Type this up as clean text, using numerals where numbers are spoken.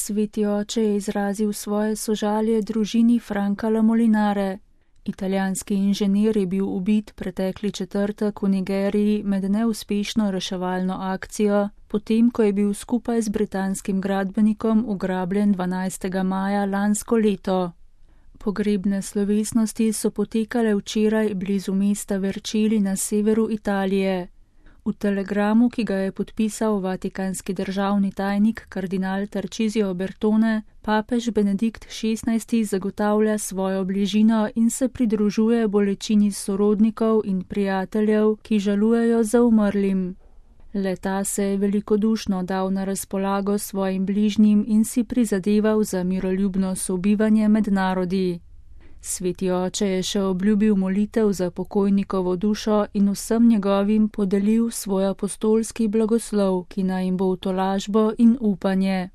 Sveti oče je izrazil svoje sožalje družini Franca Molinare. Italijanski inženir je bil ubit pretekli četrtek v Nigeriji med neuspešno reševalno akcijo, potem ko je bil skupaj z britanskim gradbenikom ugrabljen 12. maja lansko leto. Pogrebne slovesnosti so potekale včeraj blizu mesta Vercelli na severu Italije. V telegramu, ki ga je podpisal vatikanski državni tajnik kardinal Tarcisio Bertone, papež Benedikt XVI zagotavlja svojo bližino in se pridružuje bolečini sorodnikov in prijateljev, ki žalujejo za umrlim. Le-ta se je velikodušno dal na razpolago svojim bližnjim in si prizadeval za miroljubno sobivanje med narodi. Sveti oče je še obljubil molitev za pokojnikovo dušo in vsem njegovim podelil svoj apostolski blagoslov, ki naj jim bo v tolažbo in upanje.